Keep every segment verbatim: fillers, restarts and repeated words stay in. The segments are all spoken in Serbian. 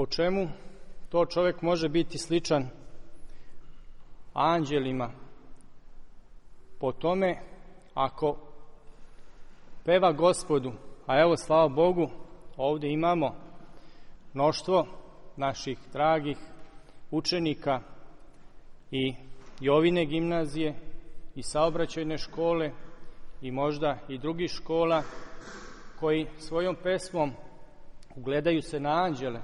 Po čemu to čovjek može biti sličan anđelima? Po tome ako peva Gospodu, a evo slava Bogu, ovdje imamo mnoštvo naših dragih učenika i Jovine gimnazije i saobraćajne škole i možda i drugih škola koji svojom pesmom ugledaju se na anđele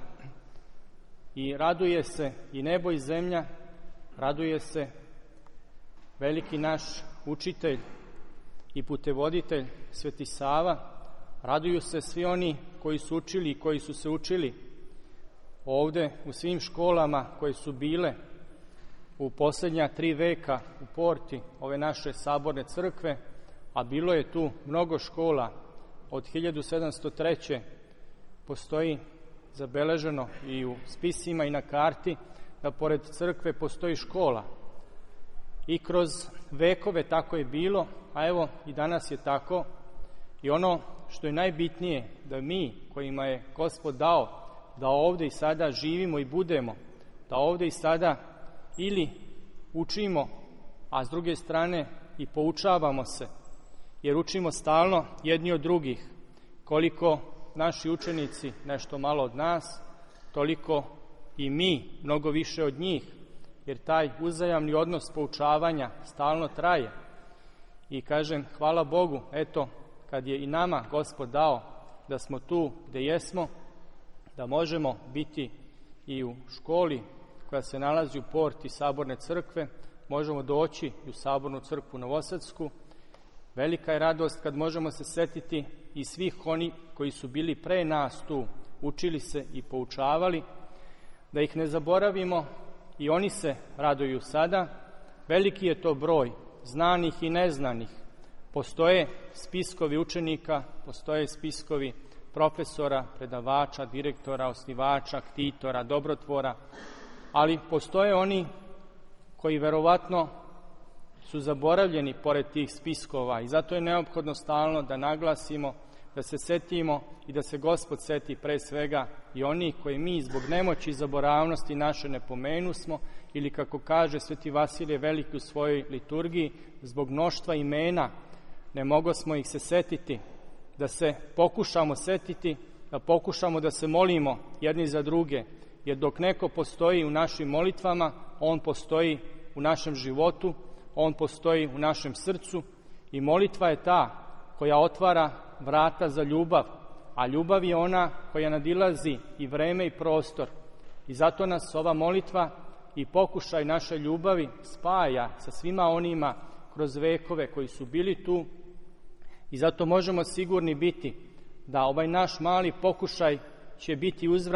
i raduje se i nebo i zemlja, raduje se veliki naš učitelj i putevoditelj Sveti Sava, raduju se svi oni koji su učili i koji su se učili ovde u svim školama koje su bile u posljednja tri veka u porti ove naše saborne crkve, a bilo je tu mnogo škola. Od hiljadu sedamsto treće. postoji zabeleženo i u spisima i na karti da pored crkve postoji škola. I kroz vekove tako je bilo, a evo i danas je tako. I ono što je najbitnije, da mi kojima je Gospod dao da ovdje i sada živimo i budemo, da ovdje i sada ili učimo, a s druge strane i poučavamo se, jer učimo stalno jedni od drugih. Koliko naši učenici nešto malo od nas, toliko i mi mnogo više od njih, jer taj uzajamni odnos poučavanja stalno traje. I kažem, hvala Bogu, eto, kad je i nama Gospod dao da smo tu gde jesmo, da možemo biti i u školi koja se nalazi u porti Saborne crkve, možemo doći i u Sabornu crkvu Novosadsku. Velika je radost kad možemo se setiti i svih oni koji su bili pre nas tu, učili se i poučavali, da ih ne zaboravimo, i oni se raduju sada. Veliki je to broj znanih i neznanih. Postoje spiskovi učenika, postoje spiskovi profesora, predavača, direktora, osnivača, ktitora, dobrotvora, ali postoje oni koji verovatno su zaboravljeni pored tih spiskova i zato je neophodno stalno da naglasimo, da se setimo i da se Gospod seti pre svega i oni koji mi zbog nemoći i zaboravnosti naše ne pomenusmo, ili kako kaže Sveti Vasilije Veliki u svojoj liturgiji, zbog mnoštva imena ne mogosmo ih se setiti, da se pokušamo setiti, da pokušamo da se molimo jedni za druge, jer dok neko postoji u našim molitvama, on postoji u našem životu, on postoji u našem srcu i molitva je ta koja otvara vrata za ljubav, a ljubav je ona koja nadilazi i vreme i prostor. I zato nas ova molitva i pokušaj naše ljubavi spaja sa svima onima kroz vekove koji su bili tu, i zato možemo sigurni biti da ovaj naš mali pokušaj će biti uzvraćen